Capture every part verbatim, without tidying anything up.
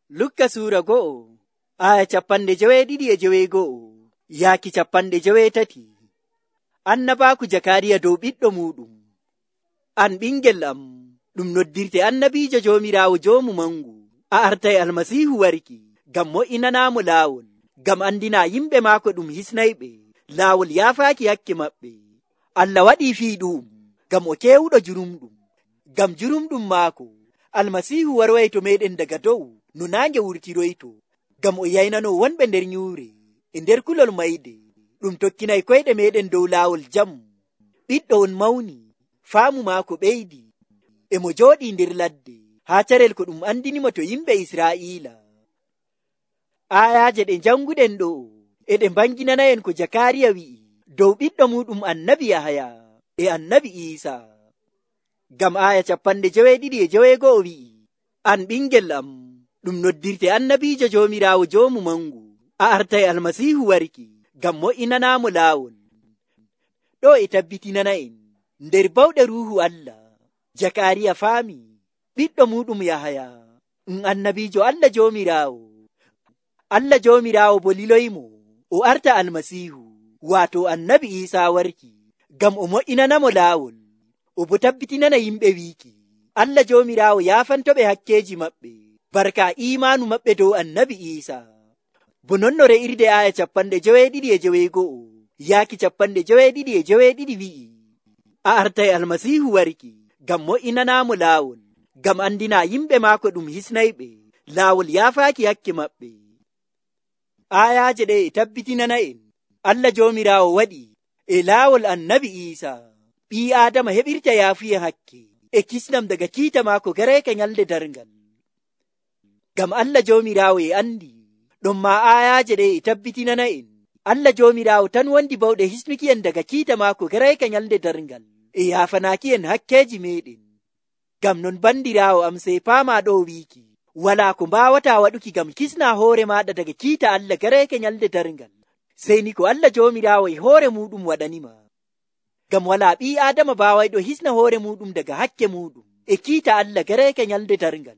Lukka suura go'o, aya capanɗe joweeɗiɗi e joweego'o, yaaki capanɗe joweetati. Annabaaku Jakaariya dow ɓiɗɗo muuɗum. An ɓingel am, ɗum noddirte annabiijo Joomiraawo Joomu Mangu. A artay Almasiihu warki, ngam mo'inanaamo laawol, ngam andina yimɓe maako ɗum hisnayɓe laawol yaafaaki hakke maɓɓe. Allah waɗii fii ɗu'um, ngam o keewuɗo jurumɗum. Ngam jurumɗum maako, Almasiihu warway to meeɗen daga dow no naange wurtiroyto, ngam o yaynano wonɓe nder nyuure e nder kulol mayde. Ɗum tokkinay koyɗe meeɗen dow laawol jam. Ɓiɗɗo on mawni, faamu maako ɓeydi, e mo jooɗii nder ladde, haa carel ko ɗum andinimo to yimɓe Israa'iila. Aayaaje ɗe janguɗen ɗo e ɗe mbanginanayen ko Jakaariya wi'i dow ɓiɗɗo muɗum annabi Yahaya e annabi Iisa. Ngam aaya capanɗe joweeɗiɗi e joweego'o wi'i, an ɓingel am, ɗum noddirte annabiijo Joomiraawo Joomu Mangu. A artay Almasiihu warki, ngam mo'inanaamo laawol. Ɗo e tabbitinana en nder bawɗe Ruuhu Allah, Jakaariya faami ɓiɗɗo muɗum Yahaya um annabiijo Allah Joomiraawo. Allah Joomiraawo bo liloymo o arta Almasiihu, waato annabi Iisaa warki, ngam o mo'inanamo laawol, o bo tabbitinana yimɓe wiiki Allah Joomiraawo yaafantoɓe hakkeeji maɓɓe barka iimaanu maɓɓe dow annabi Iisaa. Bo non no re'irde aaya capanɗe joweeɗiɗi e joweego'o yaaki capanɗe joweeɗiɗi e joweeɗiɗi wi'i, a artay Almasiihu warki, ngam mo'inanaamo laawol, ngam andina yimɓe maako ɗum hisnayɓe laawol yaafaaki hakke maɓɓe. Aayaaje ɗe e tabbitinana en Allah Joomiraawo waɗi e laawol annabi Iisaa ɓii Aadama heɓirta yaafuye hakke e kisnam daga kiita maako gareeka nyalde darngal. Ngam Allah Joomiraawo e andi, ɗon ma aayaaje ɗe e tabbitinana en Allah Joomiraawo tan wondi bawɗe hisnuki en daga kiita maako gareeka nyalde darngal e yaafanaaki en hakkeeji meeɗen. Ngam non bandiraawo am sey paama ɗo wiiki, walaa ko mbaawataa waɗuki ngam kisna hoore maaɗa daga kiita Allah gareeka nyalde darngal, sey ni ko Allah Joomiraawo e hoore muɗum waɗanima. Ngam walaa ɓii Aadama baawayɗo hisna hoore muɗum daga hakke muɗum e kiita Allah gareeka nyalde darngal.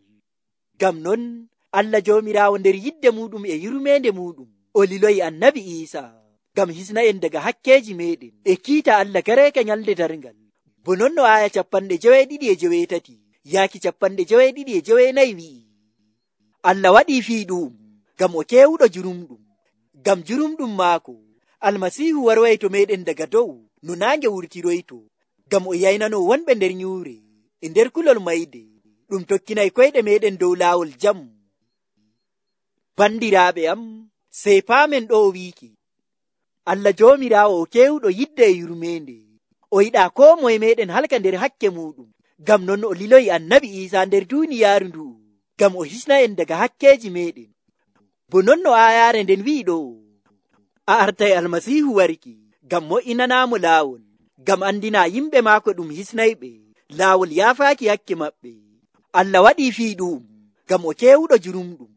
Ngam non Allah Joomiraawo nder yidde muɗum e yurmeende muɗum o liloyi annabi Iisaa ngam hisna en daga hakkeeji meeɗen e kiita Allah gareeka nyalde darngal. Bo non no aaya capanɗe joweeɗiɗi e joweetati yaaki capanɗe joweeɗiɗi e joweenayi wi'i, Allah waɗii fii ɗu'um ngam o keewuɗo jurumɗum. Ngam jurumɗum maako, Almasiihu warway to meeɗen daga dow no naange wurtiroyto, ngam o yaynano wonɓe nder nyuure e nder kulol mayde. Ɗum tokkinay koyɗe meeɗen dow laawol jam. Bandiraaɓe am, sey paamen ɗo wiiki, Allah Joomiraawo o keewuɗo yidde e yurmeende, o yiɗaa koo moye meeɗen halka nder hakke muɗum. Ngam non o liloyi annabi Iisaa nder duuniyaaru ndu'u, ngam o hisna en daga hakkeeji meeɗen. Bo non no aayaare nden wi'i ɗo, a artay Almasiihu warki, ngam mo'inanaamo laawol, ngam andina yimɓe maako ɗum hisnayɓe laawol yaafaaki hakke maɓɓe. Allah waɗii fii ɗu'um ngam o keewuɗo jurumɗum.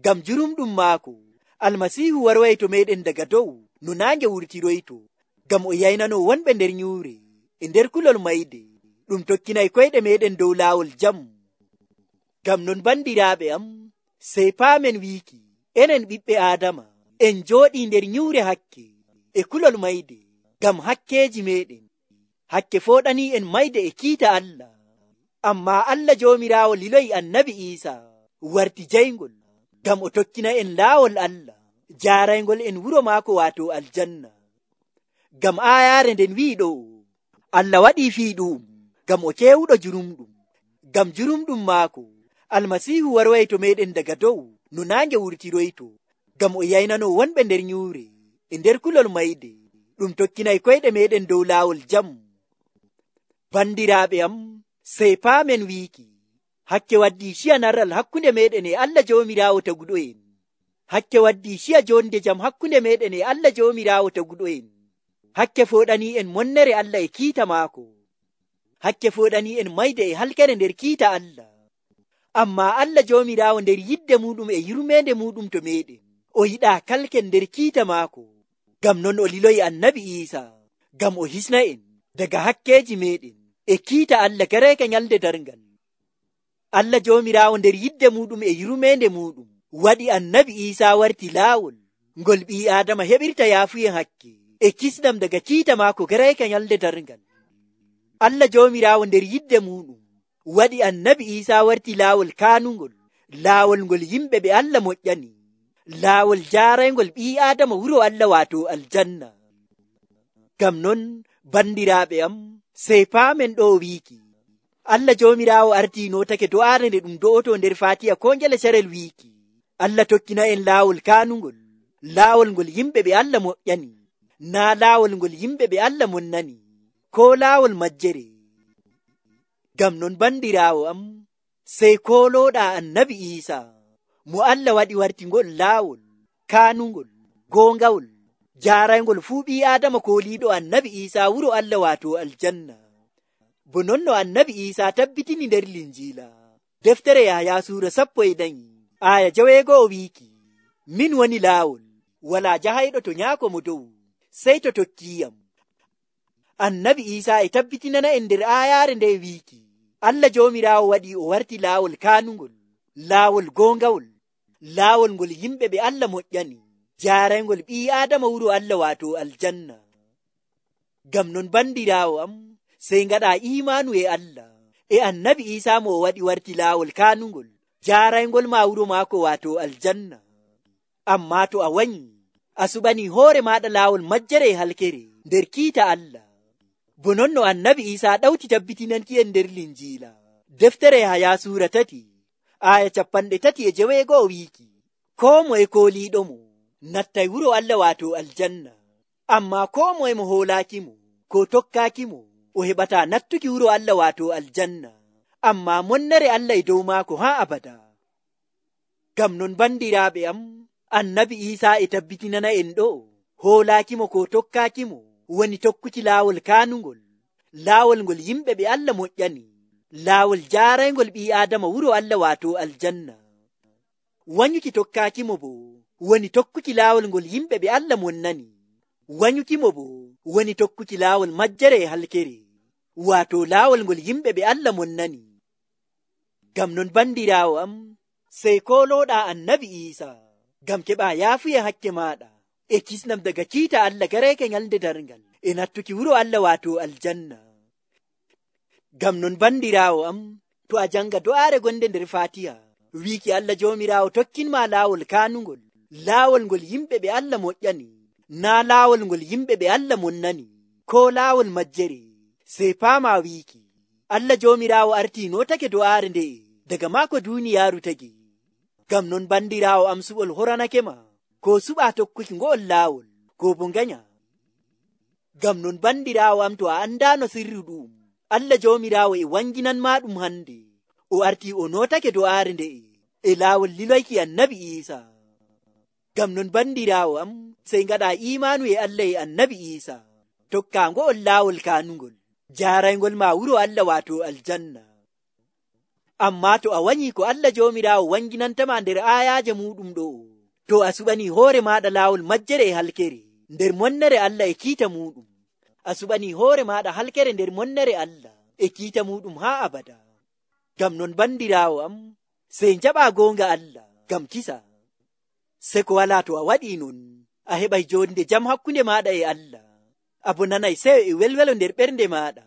Ngam jurumɗum maako, Almasiihu warway to meeɗen daga dow no naange wurtiroyto, ngam o yaynano wonɓe nder nyuure e nder kulol mayde. Ɗum tokkinay koyɗe meeɗen dow laawol jam. Ngam non bandiraaɓe am, sey paamen wiiki, enen ɓiɓɓe Aadama en jooɗii nder nyuure hakke e kulol mayde ngam hakkeeji meeɗen. Hakke fooɗanii en mayde e kiita Allah. Ammaa Allah Joomiraawo liloyi annabi Iisaa warti jayngol, ngam o tokkina en laawol Allah jaaraygol en wuro maako waato aljanna. Ngam aayaare nden wi'i ɗo, Allah waɗii fii ɗu'um ngam o keewuɗo jurumɗum. Ngam jurumɗum maako, Almasiihu warway to meeɗen daga dow no naange wurtiroyto, ngam o yaynano wonɓe nder nyuure e nder kulol mayde. Ɗum tokkinay koyɗe meeɗen dow laawol jam. Bandiraaɓe am, sey paamen wiiki, hakke waddii ciya narral hakkunde meeɗen e Allah Joomiraawo taguɗo en. Hakke waddii ciya jonde jam hakkunde meeɗen e Allah Joomiraawo taguɗo en. Hakke fooɗanii en monnere Allah e kiita maako. Hakke fooɗanii en mayde e halkere nder kiita Allah. Ammaa Allah Joomiraawo nder yidde muɗum e yurmeende muɗum to meeɗen, o yiɗaa kalken nder kiita maako. Ngam non o liloyi annabi Iisaa, ngam o hisna en daga hakkeeji meeɗen e kiita Allah gareeka nyalde darngal. Allah joomiraawo nder yidde muɗum e yurmeende muɗum waɗi annabi Iisaa warti laawol ngol ɓii Aadama heɓirta yaafuyen hakke e kisnam daga kiita maako garayka nyalde darngal. Allah joomiraawo nder yidde muɗum waɗi annabi Iisaa warti laawol kaanungol, laawol ngol yimɓe ɓe Allah moƴƴani, laawol jaarayngol ɓii Aadama wuro Allah waato aljanna. Ngam non bandiraaɓe am, sey paamen ɗo wiiki Allah joomiraawo artii nootake do'aare nde ɗum do'oto nder Faatiha ko ngele carel wiiki Allah tokkina en laawol kaanungol, laawol ngol yimɓe ɓe Allah moƴƴani, naa laawol ngol yimɓe ɓe Allah monnani, ko laawol majjere. Ngam non bandiraawo am, sey koolooɗaa annabi Iisaa mo Allah waɗi warti ngol laawol kaanungol, goongawol, jaarayngol fuu ɓii Aadama kooliiɗo annabi Iisaa wuro Allah waato aljanna. Bo non no annabi Iisaa tabbitini nder Linjiila deftere Yahaya suura sappo e nayi aya jaweego'o wiiki, min woni laawol, walaa jahayɗo to nyaako mo dow sey to tokkiiyam. Annabi Iisaa e tabbitinana en nder aayaare nde wiiki Allah joomiraawo waɗi o warti laawol kaanungol, laawol goongawol, laawol ngol yimɓe ɓe Allah moƴƴani, jaarayngol ɓii Aadama wuro Allah waato aljanna. Ngam non bandiraawo am, sey ngaɗa imaanu e Allah e annabi Iisaa mo o waɗi warti laawol kaanungol, jaarayngol ma wuro maako waato aljanna. Amma to a wanyi a suɓani hoore maɗa laawol majjere e halkere nder kiita Allah. Bo non no annabi Iisaa ɗawti tabbitinanki en nder Linjiila deftere Yahaya suura tati aya capanɗe tati e jeweego'o wiiki, koo moye kooliiɗo mo nattay wuro Allah waato aljanna, amma koo moye mo hoolaaki mo ko tokkaaki mo o heɓata nattuki wuro Allah waato aljanna, amma monnere Allah e dow maako haa abada. Ngam non bandiraaɓe am, annabi Iisaa e tabbitinana en ɗo hoolaaki mo ko tokkaaki mo woni tokkuki laawol kaanungol, laawol ngol yimɓe ɓe Allah moƴƴani, laawol jaarayngol ɓii Aadama wuro Allah waato aljanna. Wanyuki tokkaaki mo bo woni tokkuki laawol ngol yimɓe ɓe Allah monnani, wanyuki mo bo woni tokkuki laawol majjere e halkere, waato laawol ngol yimɓe ɓe Allah monnani. Ngam non bandiraawo am, sey koolooɗaa annabi Iisaa ngam keɓa yaafuye hakke maaɗa e kisnam daga kiita Allah gareke nyalde darngal e nattuki wuro Allah waato aljanna. Ngam non bandiraawo am, to a janga do'aare gonde nder Faatiha wiiki Allah joomiraawo tokkinma laawol kaanungol, laawol ngol yimɓe ɓe Allah moƴƴani, naa laawol ngol yimɓe ɓe Allah monnani, ko laawol majjere, sey paama wiiki Allah joomiraawo artii nootake do'aare nde daga maako duuniyaaru tagi. Ngam non bandiraawo am, suɓol horanake ma ko suɓa tokkuki ngo'ol laawol ko bo nganya. Ngam non bandiraawo am, to a andaano sirru ɗum Allah joomiraawo e wanginanma ɗum hande, o artii o nootake do'aare nde e laawol liloyki annabi Iisaa. Ngam non bandiraawo am, sey ngaɗa imaanu e Allah e annabi Iisaa, tokka ngo'ol laawol kaanungol, jaarayngol ma wuro Allah waato aljanna. Amma to a wanyi ko Allah joomiraawo wanginantama nder aayaaje muɗum ɗo, to a suɓani hoore maɗa laawol majjere e halkere nder monnere Allah e kiita muɗum, a suɓani hoore maɗa halkere nder monnere Allah e kiita muɗum haa abada. Ngam non bandiraawo am, sey jaɓa goonga Allah ngam kisa, se ko wala to a waɗi non a heɓay jonde jam hakkunde maɗa e Allah, abo nanay seyo e welwelo nder ɓernde maɗa.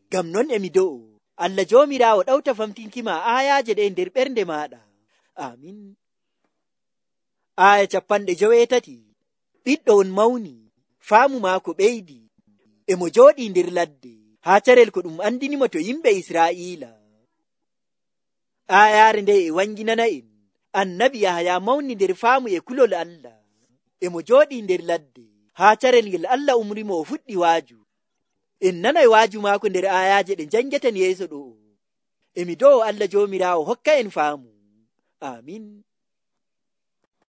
Ngam non emi do'o Allah joomiraawo ɗawta famtinkima aayaaje ɗe nder ɓernde maɗa. Amin. Aya capanɗe joweetati. Ɓiɗɗo on mawni, faamu maako ɓeydi, e mo jooɗi nder ladde haa carel ko ɗum andinimo to yimɓe Israa'iila. Aayaare nde e wanginana en annabi Yahaya mawni nder faamu e kulol Allah, e mo jooɗi nder ladde haa carel ngel Allah umrimo o fuɗɗi waaju. En nanay waaju maako nder aayaaje ɗe jangeten yeeso ɗo. Emi do'o Allah joomiraawo hokka en faamu. Amin.